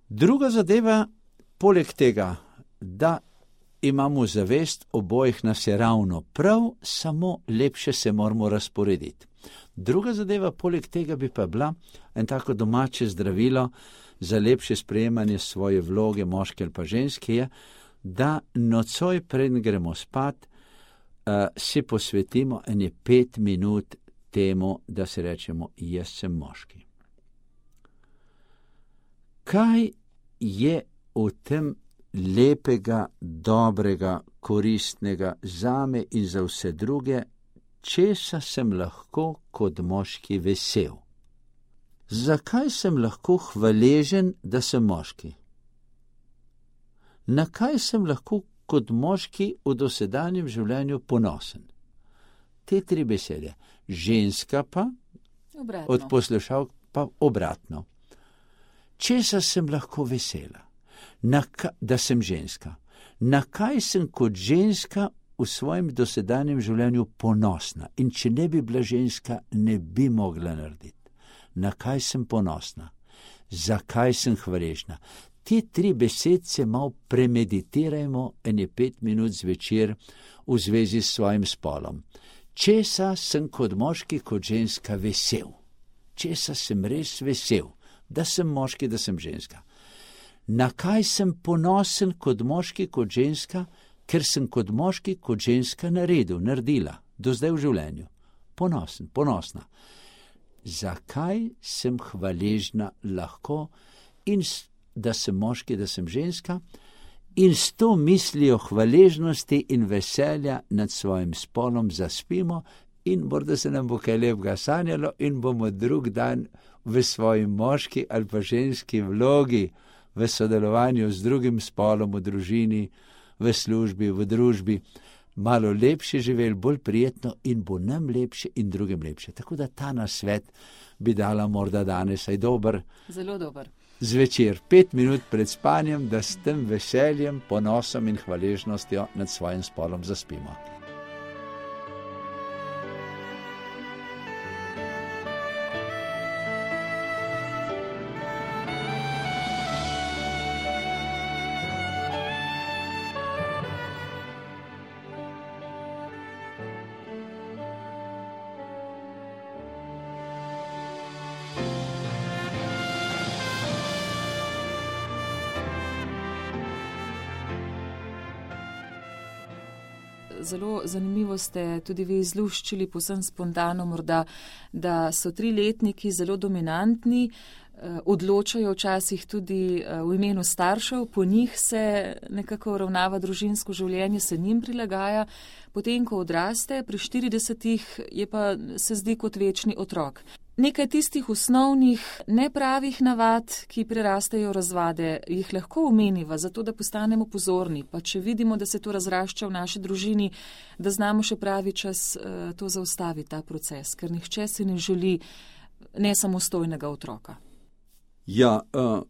Druga zadeva, poleg tega, da imamo zavest, obojih nas je ravno prav, samo lepše se moramo razporediti. Druga zadeva, poleg tega bi pa bila en tako domače zdravilo za lepše sprejemanje svoje vloge, moške ali pa ženske, je, da nocoj preden gremo spat, uh, si posvetimo ene pet minut temu, da se rečemo, jaz sem moški. Kaj je v tem lepega, dobrega, koristnega zame in za vse druge, česa sem lahko kot moški vesel? Zakaj sem lahko hvaležen, da sem moški? Na kaj sem lahko kot moški v dosedanjem življenju ponosen? Te tri besede. Ženska pa, Obratno. od poslušalk pa obratno. Česa sem lahko vesela? Na ka, da sem ženska. Na kaj sem kot ženska v svojem dosedanjem življenju ponosna? In če ne bi bila ženska, ne bi mogla narediti. Na kaj sem ponosna? Zakaj sem hvaležna? Te tri besedce malo premeditirajmo ene pet minut zvečer v zvezi s svojim spolom. Česa sem kot moški, kot ženska vesel? Česa sem res vesel? Da sem moški, da sem ženska. Na kaj sem ponosen kot moški, kot ženska, ker sem kot moški, kot ženska naredil, naredila, do zdaj v življenju. Ponosen, ponosna. Zakaj sem hvaležna lahko in da sem moški, da sem ženska, in s to mislijo hvaležnosti in veselja nad svojim spolom zaspimo in morda se nam bo kaj lepega sanjalo in bomo drug dan v svoji moški ali pa ženski vlogi, v sodelovanju z drugim spolom v družini, v službi, v družbi, malo lepše živeli, bolj prijetno in bo nam lepše in drugim lepše. Tako da ta nasvet bi dala morda danes, aj dober. Zelo dober. Zvečer, pet minut pred spanjem, da s tem veseljem, ponosom in hvaležnostjo nad svojim spolom zaspimo. Zelo zanimivo ste tudi vi izluščili, povsem spontano morda, da so triletniki zelo dominantni, odločajo včasih tudi v imenu staršev, po njih se nekako ravnava družinsko življenje, se njim prilagaja, potem ko odraste, pri štiridesetih je pa se zdi kot večni otrok. Nekaj tistih osnovnih nepravih navad, ki prerastejo razvade, jih lahko omeniva, zato da postanemo pozorni, pa če vidimo, da se to razrašča v naši družini, da znamo še pravi čas to zaustaviti, ta proces, ker nihče si ne želi nesamostojnega otroka. Ja, uh,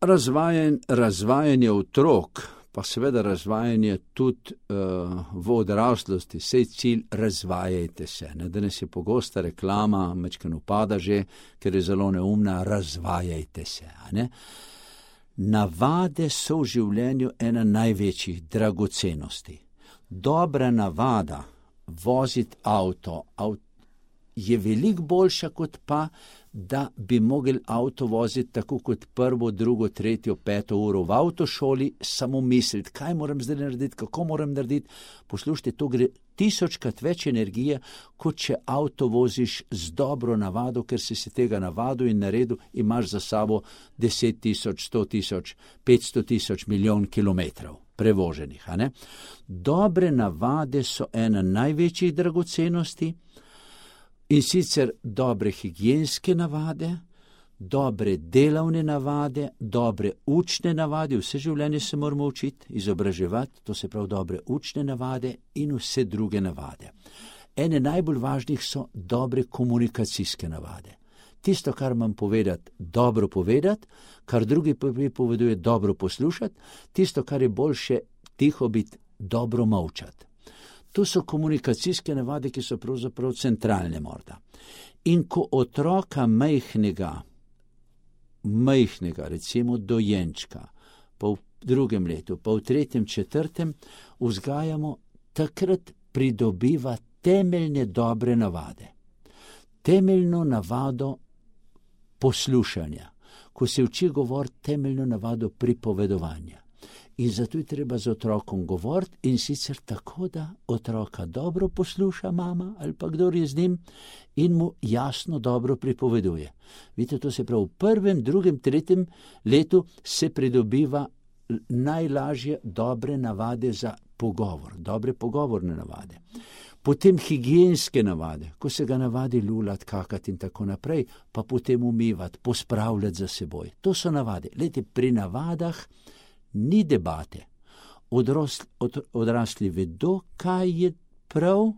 razvajen, razvajanje otrok, pa seveda razvajanje tudi uh, v odraslosti, sej cilj razvajajte se. Ne? Danes je pogosta reklama, mečken upada že, ker je zelo neumna, razvajajte se. A ne? Navade so v življenju ena največjih dragocenosti. Dobra navada voziti avto, avto je veliko boljša kot pa, da bi mogli avto voziti tako kot prvo, drugo, tretjo, peto uro v avtošoli, samo misliti, kaj moram zdaj narediti, kako moram narediti. Poslušajte, to gre tisočkrat več energije, kot če avto voziš z dobro navado, ker si se tega navadil in naredil, imaš za sabo deset tisoč, sto tisoč, petsto tisoč, milijon kilometrov prevoženih. A ne? Dobre navade so ena največjih dragocenosti, in sicer dobre higienske navade, dobre delovne navade, dobre učne navade, vse življenje se moramo učiti, izobraževati, to se pravi dobre učne navade in vse druge navade. Ene najbolj važnih so dobre komunikacijske navade. Tisto, kar imam povedati, dobro povedati, kar drugi poveduje, dobro poslušati, tisto, kar je boljše tiho biti, dobro molčati. To so komunikacijske navade, ki so pravzaprav centralne morda. In ko otroka majhnega, majhnega, recimo dojenčka, pa v drugem letu, pa v tretjem, četrtem, vzgajamo, takrat pridobiva temeljne dobre navade. Temeljno navado poslušanja, ko se uči govoriti, temeljno navado pripovedovanja. In zato je treba z otrokom govoriti in sicer tako, da otroka dobro posluša mama ali pa kdor je z njim in mu jasno dobro pripoveduje. Vidite, to se pravi, v prvem, drugem, tretjem letu se pridobiva najlažje dobre navade za pogovor, dobre pogovorne navade. Potem higienske navade, ko se ga navadi lulati, kakati in tako naprej, pa potem umivati, pospravljati za seboj. To so navade. Lejte, pri navadah ni debate. Odrosli, od, odrasli vedo, kaj je prav,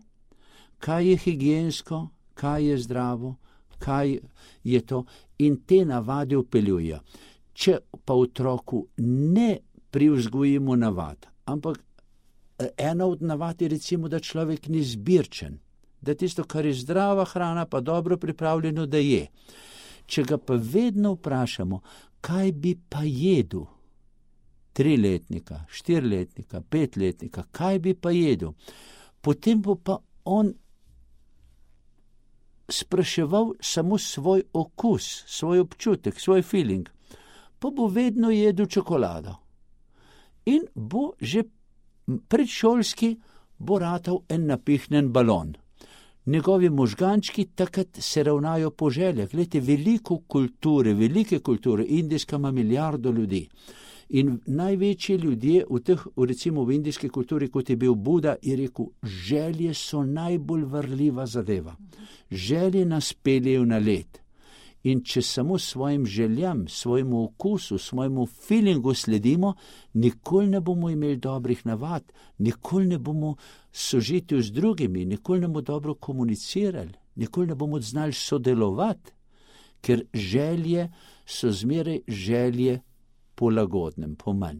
kaj je higiensko, kaj je zdravo, kaj je to, in te navade vpeljujejo. Če pa otroku ne privzgojimo navad, ampak ena od navad je recimo, da človek ni zbirčen, da tisto, kar je zdrava hrana, pa dobro pripravljeno, da je. Če ga pa vedno vprašamo, kaj bi pa jedel, triletnika, štiriletnika, petletnika, kaj bi pa jedel, potem bo pa on spraševal samo svoj okus, svoj občutek, svoj feeling, pa bo vedno jedel čokolado. In bo že predšolski bo ratal en napihnen balon. Njegovi možgančki takrat se ravnajo po željah. Glejte, veliko kulture, velike kulture, Indijska ima milijardo ljudi. In največji ljudje v teh, recimo v indijski kulturi, kot je bil Buda, je rekel, želje so najbolj varljiva zadeva. Želje nas peljejo na led. In če samo svojim željam, svojemu okusu, svojemu feelingu sledimo, nikoli ne bomo imeli dobrih navad, nikoli ne bomo sožiti z drugimi, nikoli ne bomo dobro komunicirali, nikoli ne bomo znali sodelovati, ker želje so zmeraj želje po lagodnem, po manj.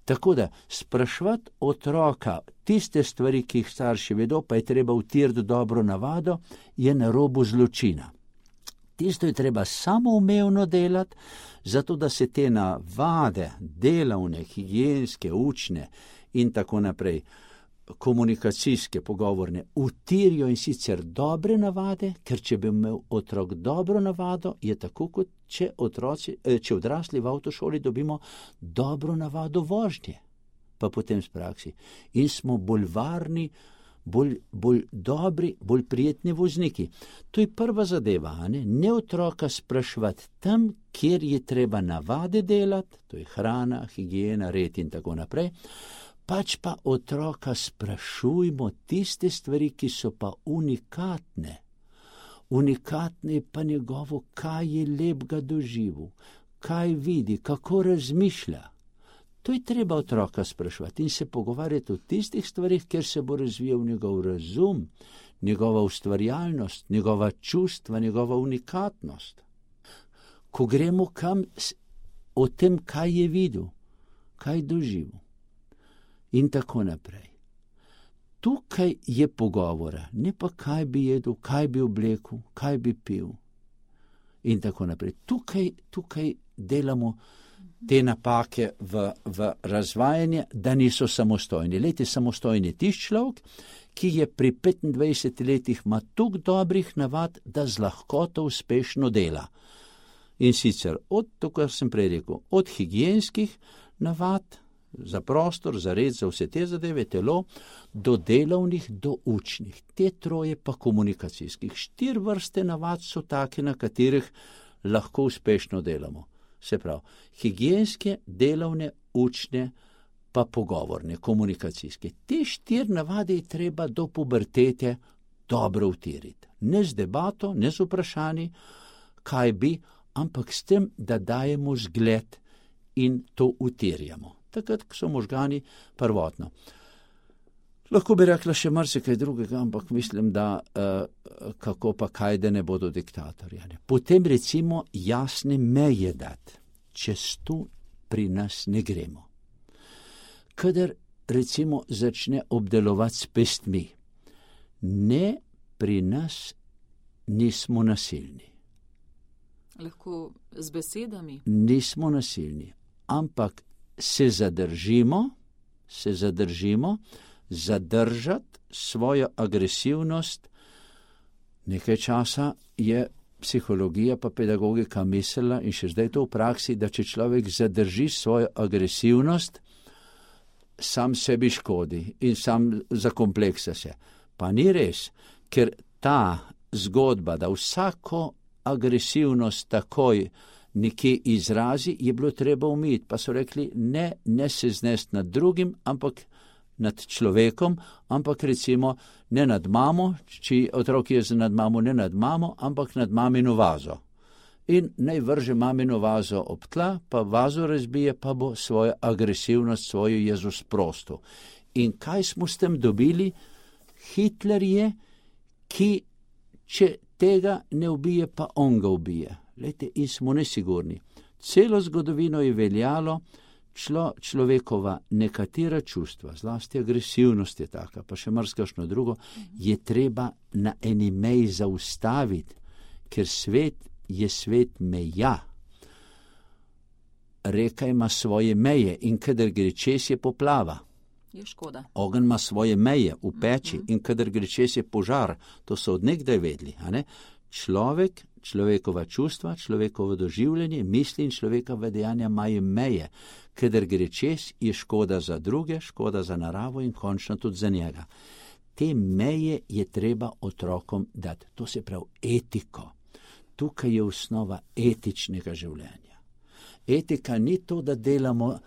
Tako da sprašvati otroka tiste stvari, ki jih starši vedo, pa je treba vtirati dobro navado, je na robu zločina. Tisto je treba samoumevno delati, zato da se te navade, delavne, higienske, učne in tako naprej, komunikacijske, pogovorne, utirijo in sicer dobre navade, ker če bi imel otrok dobro navado, je tako, kot če, otroci, če odrasli v avtošoli dobimo dobro navado vožnje, pa potem s praksi. In smo bolj varni, Bolj, bolj dobri, bolj prijetni vozniki. To je prva zadeva, ne? Ne otroka sprašvati tam, kjer je treba navade delati, to je hrana, higiena, red in tako naprej, pač pa otroka sprašujmo tiste stvari, ki so pa unikatne. Unikatne je pa njegovo, kaj je lepega doživel, kaj vidi, kako razmišlja. To je treba otroka sprašvati in se pogovarjati o tistih stvarih, kjer se bo razvijal njegov razum, njegova ustvarjalnost, njegova čustva, njegova unikatnost. Ko gremo kam, o tem, kaj je videl, kaj doživel in tako naprej. Tukaj je pogovora, ne pa kaj bi jedel, kaj bi oblekel, kaj bi pil in tako naprej. Tukaj, tukaj delamo te napake v, v razvajanje, da niso samostojni. Lejte, samostojni tisti človek, ki je pri petindvajsetih letih ima toliko dobrih navad, da z lahkoto uspešno dela. In sicer od, to, kar sem prej rekel, od higienskih navad za prostor, za red, za vse te zadeve, telo, do delovnih, do učnih. Te troje pa komunikacijskih. Štiri vrste navad so take, na katerih lahko uspešno delamo. Se pravi, higienske, delovne, učne, pa pogovorne, komunikacijske. Te štiri navade je treba do pubertete dobro utiriti. Ne z debato, ne z vprašanji, kaj bi, ampak s tem, da dajemo zgled in to utirjamo. Takrat so možgani prvotno. Lahko bi rekla še marsikaj drugega, ampak mislim, da uh, kako pa kaj, da ne bodo diktatorji. Potem recimo jasne meje dati, čez to pri nas ne gremo. Kadar recimo začne obdelovati s pestmi, ne, pri nas nismo nasilni. Lahko z besedami? Nismo nasilni, ampak se zadržimo, se zadržimo, zadržati svojo agresivnost. Nekaj časa je psihologija pa pedagogika mislila in še zdaj to v praksi, da če človek zadrži svojo agresivnost, sam sebi škodi in sam zakompleksa se. Pa ni res, ker ta zgodba, da vsako agresivnost takoj nekje izrazi, je bilo treba umiti. Pa so rekli, ne, ne se znesti nad drugim, ampak nad človekom, ampak recimo ne nad mamo, če otrok je nad mamo, ne nad mamo, ampak nad mamino vazo. In naj vrže mamino vazo ob tla, pa vazo razbije, pa bo svojo agresivnost, svojo jezo sprostil. In kaj smo s tem dobili? Hitler je, ki če tega ne ubije, pa on ga ubije. Lejte, in smo nesigurni. Celo zgodovino je veljalo, člo, človekova nekatera čustva, zlasti agresivnost je taka, pa še marsikakšno drugo, je treba na eni meji zaustaviti, ker svet je svet meja. Reka ima svoje meje in kadar gre čez, je poplava. Je škoda. Ogenj ima svoje meje v peči in kadar gre čez, je požar. To so od nekdaj vedeli. A ne? Človek, človekova čustva, človekovo doživljanje, misli in človekova dejanja imajo meje. Kadar gre čez, je škoda za druge, škoda za naravo in končno tudi za njega. Te meje je treba otrokom dati. To se pravi etiko. Tukaj je osnova etičnega življenja. Etika ni to, da delamo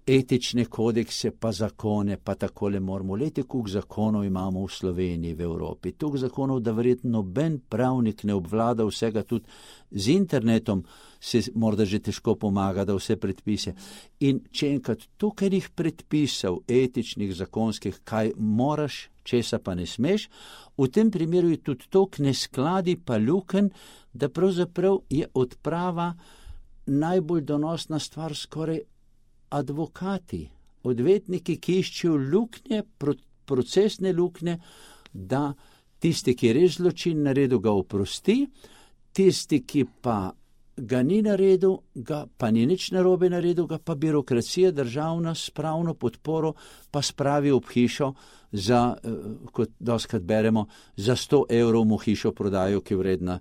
etične kodekse, pa zakone, pa takole moramo. Lejte, koliko zakonov imamo v Sloveniji, v Evropi. Toliko zakonov, da verjetno noben pravnik ne obvlada vsega, tudi z internetom se morda že težko pomaga, da vse predpise. In če enkrat tukaj jih predpisal, etičnih, zakonskih, kaj moraš, česa pa ne smeš, v tem primeru je tudi tok neskladi pa luken, da pravzaprav je odprava najbolj donosna stvar skoraj advokati, odvetniki, ki iščejo luknje, procesne luknje, da tisti, ki je res zločin naredil, ga oprosti, tisti, ki pa ga ni naredil, ga pa ni nič narobe naredil, ga pa birokracija državna s pravno podporo pa spravi ob hišo za, kot doskrat beremo, za sto evrov mu hišo prodajo, ki je vredna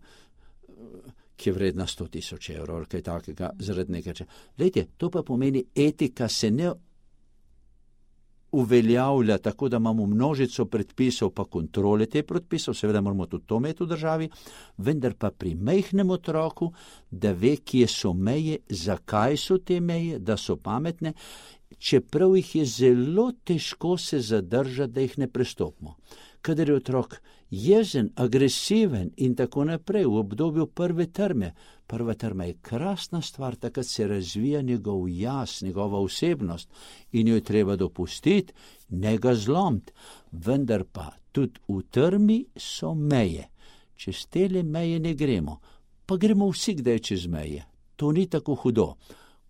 ki je vredna sto tisoč evrov ali kaj takega, zaradi nekaj če. Lejte, to pa pomeni, etika se ne uveljavlja tako, da imamo množico predpisov pa kontrole te predpisov, seveda moramo tudi to imeti v državi, vendar pa pri majhnem otroku, da ve, kje so meje, zakaj so te meje, da so pametne, čeprav jih je zelo težko se zadržati, da jih ne prestopimo. Kadar je otrok jezen, agresiven in tako naprej v obdobju prve trme. Prva trma je krasna stvar, takrat se razvija njegov jaz, njegova osebnost in jo je treba dopustiti, ne ga zlomiti. Vendar pa tudi v trmi so meje. Čez tele meje ne gremo, pa gremo vsi kdaj čez meje. To ni tako hudo.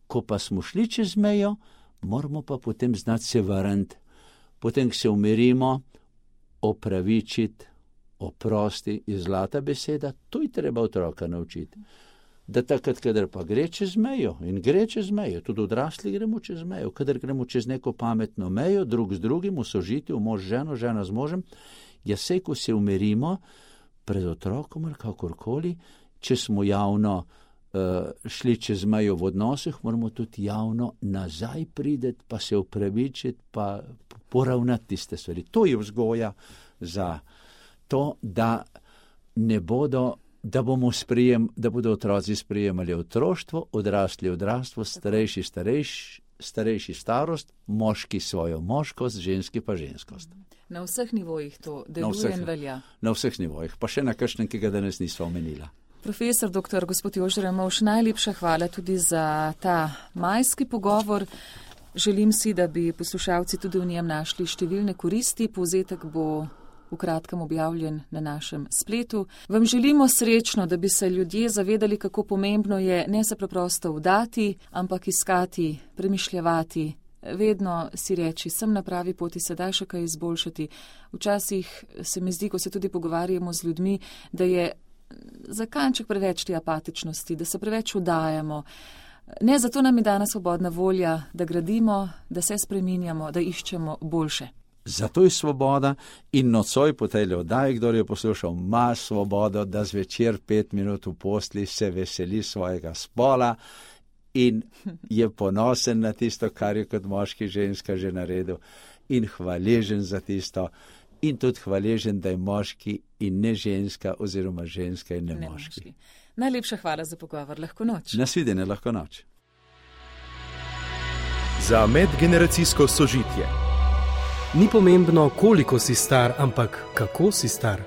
Ko pa smo šli čez mejo, moramo pa potem znati se vrniti. Potem, ko se umirimo, opravičiti, oprosti je zlata beseda, to je treba otroka naučiti. Da takrat, kadar pa gre čez mejo in gre čez mejo, tudi odrasli gremo čez mejo, kadar gremo čez neko pametno mejo, drug z drugim, v sožitju, mož z ženo, žena z možem, ja sej, ko se umirimo pred otrokom ali kakorkoli, če smo javno uh, šli čez mejo v odnosih, moramo tudi javno nazaj prideti, pa se opravičiti, pa poravnati tiste stvari. To je vzgoja za to, da ne bodo, da bomo sprejem, da bodo otroci sprejemali otroštvo, odrasli odrastvo, starejši starejš, starejši starost, moški svojo moškost, ženski pa ženskost. Na vseh nivojih to deluje in velja. Na vseh nivojih, pa še na kakšnem, ki ga danes nisva omenila. Profesor doktor gospod Jože Ramovš, najlepša hvala tudi za ta majski pogovor. Želim si, da bi poslušalci tudi v njem našli številne koristi. Povzetek bo v kratkem objavljen na našem spletu. Vam želimo srečno, da bi se ljudje zavedali, kako pomembno je ne se preprosto vdati, ampak iskati, premišljavati, vedno si reči, sem na pravi poti, sedaj še kaj izboljšati. Včasih se mi zdi, ko se tudi pogovarjamo z ljudmi, da je za kanček preveč te apatičnosti, da se preveč vdajamo. Ne, zato nam je dana svobodna volja, da gradimo, da se spreminjamo, da iščemo boljše. Zato je svoboda in nocoj po tej oddaji, kdor je poslušal, ima svobodo, da zvečer pet minut v posli se veseli svojega spola in je ponosen na tisto, kar je kot moški ženska že naredil in hvaležen za tisto in tudi hvaležen, da je moški in ne ženska oziroma ženska in ne, ne moški. moški. Najlepša hvala za pogovor. Lahko noč. Nasvidenje, lahko noč. Za medgeneracijsko sožitje. Ni pomembno, koliko si star, ampak kako si star.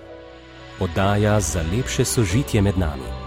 Oddaja za lepše sožitje med nami.